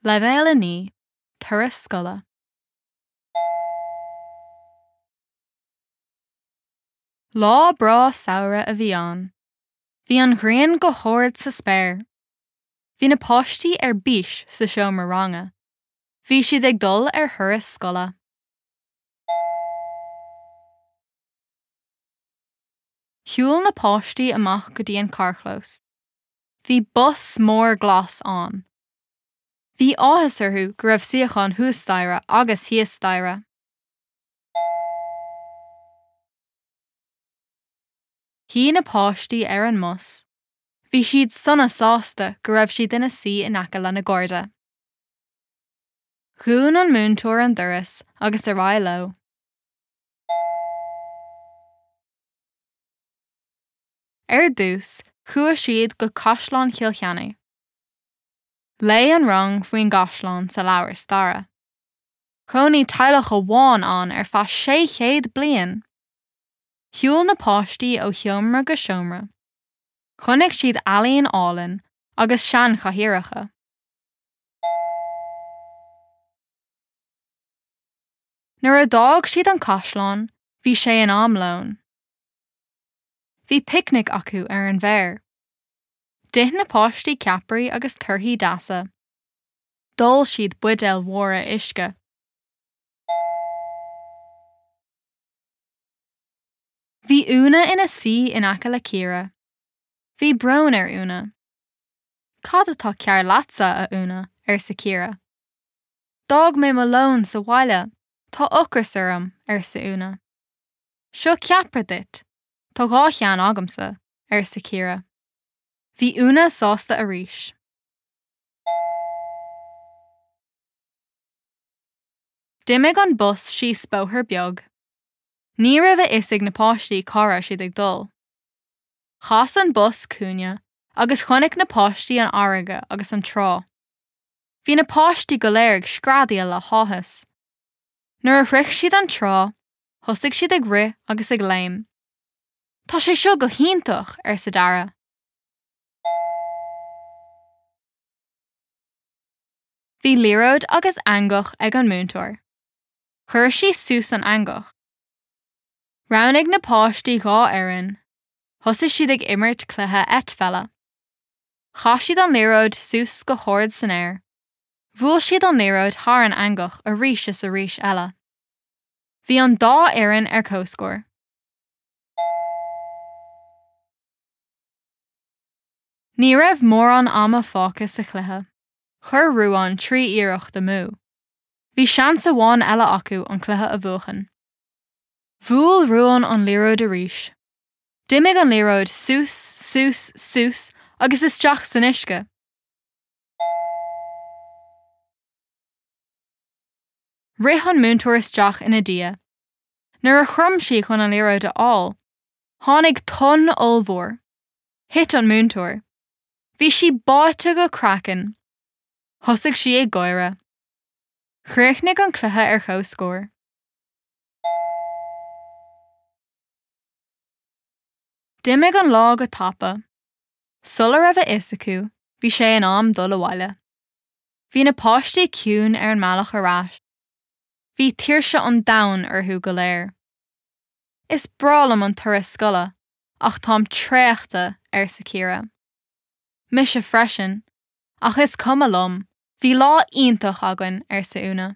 Leibhéal 9, Turas Scoile. Lá breá samhraidh a bhí ann. Bhí an ghrian go hard sa spéir. Bhí na páistí ar bís sa seomra ranga. Bhí siad ag dul ar thuras scoile. Shiúil na páistí amach go dtí an carrchlós. Bhí bus mór glas ann. Bhí áthas orthu go raibh suíocháin thuas staighre agus thíos staighre. Shuigh na páistí ar an mbus. Bhí siad sona sásta go raibh siad ina suí in aice lena gcairde. Dhún an múinteoir an doras agus ar aghaidh leo. Ar dtús, chuaigh siad go Caisleán Chill Chainnigh. Léigh an rang faoin gcaisleán sa leabhar staire. Chónaigh teaghlach amháin ann ar feadh 600 bliain! Shiúil na páistí ó sheomra go seomra. Chonaic siad ealaín álainn agus seanchathaoireacha. Nuair a d'fhág siad an caisleán, bhí sé in am lóin. Bhí picnic acu ar an bhféar. D'ith na páistí ceapairí agus torthaí deasa. D'ól siad buidéil mhóra uisce. Bhí Úna ina suí in aice le Ciara. Bhí brón ar Úna. Cad atá cearr leatsa, a Úna? arsa Ciara. D'fhág mé mo lón sa bhaile. Tá ocras orm, arsa Úna. Seo ceapaire duit. Tá 2 cheann agamsa, arsa Ciara. Bhí Úna sásta arís. D'imigh an bus síos bóthar beag. Ní raibh a fhios ag na páistí cá raibh siad ag dul. Chas an bus cúinne agus chonaic na páistí an fharraige agus an trá. Bhí na páistí go léir ag screadaíl le háthas. Nuair a shroich siad an trá, thosaigh siad ag rith agus ag léim. Tá sé seo go hiontach! arsa Dara. Bhí liathróid agus eangach ag an múinteoir. Chuir sí suas an eangach. Roghnaigh na páistí 2 fhoireann. Thosaigh siad ag imirt cluiche eitpheile. Chaith siad an liathróid suas go hard san aer. Bhuail siad an liathróid thar an eangach arís is arís eile. Bhí an dá fhoireann ar comhscór. Ní raibh mórán ama fágtha sa chluiche. Chuir Ruán 3 iarracht amú. Bhí seans amháin eile acu an cluiche a bhuachan. Bhuail Ruán an liathróid arís. D'imigh an liathróid suas, suas, suas agus isteach san uisce. Rith an múinteoir isteach ina diaidh. Nuair a chrom sí chun an liathróid a fháil, tháinig tonn ollmhór. Thit an múinteoir. Bhí sí báite go craiceann. Thosaigh sí ag gáire. Chríochnaigh an cluiche ar comhscór. D'imigh an lá go tapa. Sula raibh a fhios acu, bhí sé in am dul abhaile. Bhí na páistí ciúin ar an mbealach ar ais. Bhí tuirse an domhain orthu go léir. Is breá liom an turas scoile, ach táim traochta, arsa Ciara. Mise freisin. Ach is cuma liom, bhí lá iontach againn, arsa Úna.